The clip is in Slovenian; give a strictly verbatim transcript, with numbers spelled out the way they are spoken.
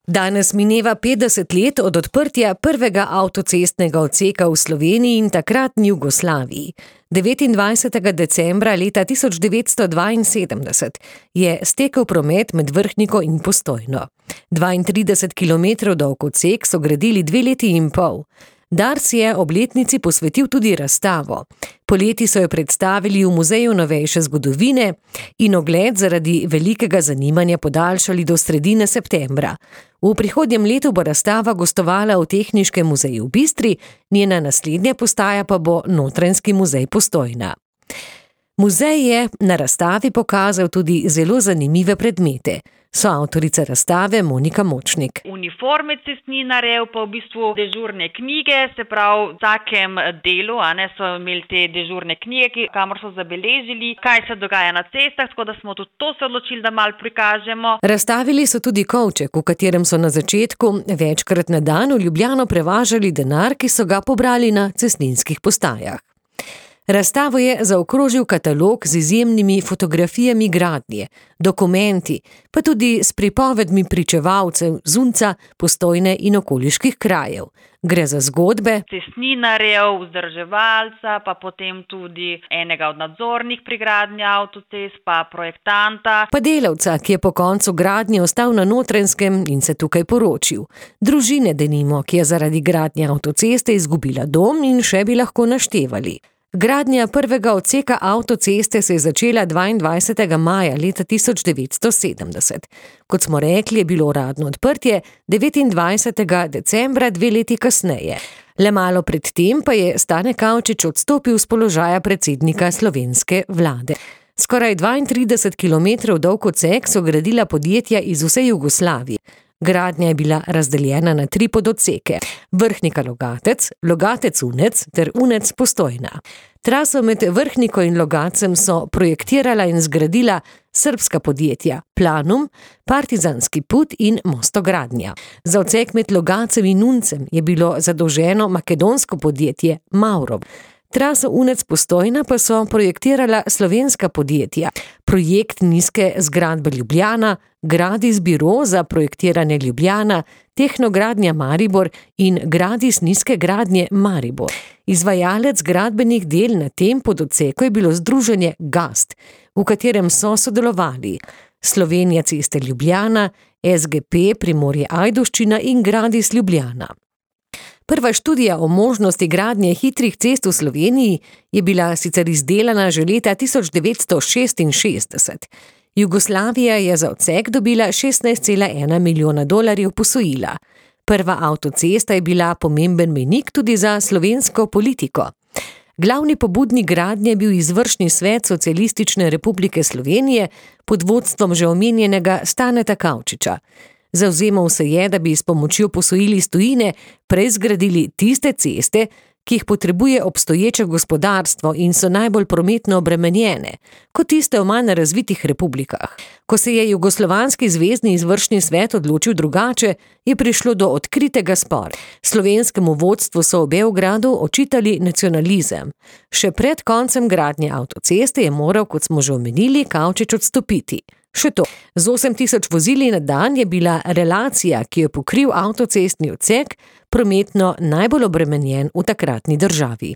Danes mineva petdeset let od odprtja prvega avtocestnega odseka v Sloveniji in takratni Jugoslaviji. devetindvajsetega decembra leta tisoč devetsto dvainsedemdeset je stekel promet med Vrhniko in Postojno. dvaintrideset kilometrov dolg odsek so gradili dve leti in pol. Dars je obletnici posvetil tudi razstavo. Poleti so jo predstavili v Muzeju novejše zgodovine in ogled zaradi velikega zanimanja podaljšali do sredine septembra. V prihodnjem letu bo razstava gostovala v Tehniškem muzeju v Bistri, njena naslednja postaja pa bo Notranjski muzej Postojna. Muzej je na razstavi pokazal tudi zelo zanimive predmete. Soavtorica razstave Monika Močnik. Uniforme cestninarjev, pa v bistvu dežurne knjige, se pravi v vsakem delu, a ne, so imeli te dežurne knjige, kamor so zabeležili, kaj se dogaja na cestah, tako da smo tudi to se odločili, da malo prikažemo. Razstavili so tudi kovček, v katerem so na začetku večkrat na dan v Ljubljano prevažali denar, ki so ga pobrali na cestninskih postajah. Razstavo je zaokrožil katalog z izjemnimi fotografijami gradnje, dokumenti, pa tudi s pripovedmi pričevalcev Zunca, Postojne in okoliških krajev. Gre za zgodbe cestninarjev, vzdrževalca, pa potem tudi enega od nadzornih pri gradnji avtocest, pa projektanta. Pa delavca, ki je po koncu gradnje ostal na Notranjskem in se tukaj poročil. Družine denimo, ki je zaradi gradnje avtoceste izgubila dom in še bi lahko naštevali. Gradnja prvega odseka avtoceste se je začela dvaindvajsetega maja leta tisoč devetsto sedemdeset. Kot smo rekli, je bilo uradno odprtje devetindvajsetega decembra dve leti kasneje. Le malo pred tem pa je Stane Kavčič odstopil z položaja predsednika slovenske vlade. Skoraj dvaintrideset kilometrov dolg odsek so gradila podjetja iz vse Jugoslavije. Gradnja je bila razdeljena na tri pododseke: Vrhnika Logatec, Logatec Unec ter Unec Postojna. Traso med Vrhniko in Logacem so projektirala in zgradila srbska podjetja Planum, Partizanski put in Mostogradnja. Za odsek med Logacem in Uncem je bilo zadolženo makedonsko podjetje Mavrov. Traso Unec Postojna pa so projektirala slovenska podjetja Projekt nizke zgradbe Ljubljana, Gradis biro za projektiranje Ljubljana, Tehnogradnja Maribor in Gradis nizke gradnje Maribor. Izvajalec gradbenih del na tem pododseku je bilo združenje Gast, v katerem so sodelovali Slovenija ceste Ljubljana, S G P Primorje Ajdovščina in Gradis Ljubljana. Prva študija o možnosti gradnje hitrih cest v Sloveniji je bila sicer izdelana že leta tisoč devetsto šestinšestdeset. Jugoslavija je za odsek dobila šestnajst cela ena milijona dolarjev posojila. Prva avtocesta je bila pomemben mejnik tudi za slovensko politiko. Glavni pobudnik gradnje je bil izvršni svet Socialistične republike Slovenije pod vodstvom že omenjenega Staneta Kavčiča. Zavzemal se je, da bi s pomočjo posojil iz tujine prej zgradili tiste ceste, ki jih potrebuje obstoječe gospodarstvo in so najbolj prometno obremenjene, kot tiste v manj razvitih republikah. Ko se je Jugoslovanski zvezni izvršni svet odločil drugače, je prišlo do odkritega spora. Slovenskemu vodstvu so v Beogradu očitali nacionalizem. Še pred koncem gradnje avtoceste je moral, kot smo že omenili, Kavčič odstopiti. Še to, z osem tisoč vozili na dan je bila relacija, ki jo pokril avtocestni odsek, prometno najbolj obremenjen v takratni državi.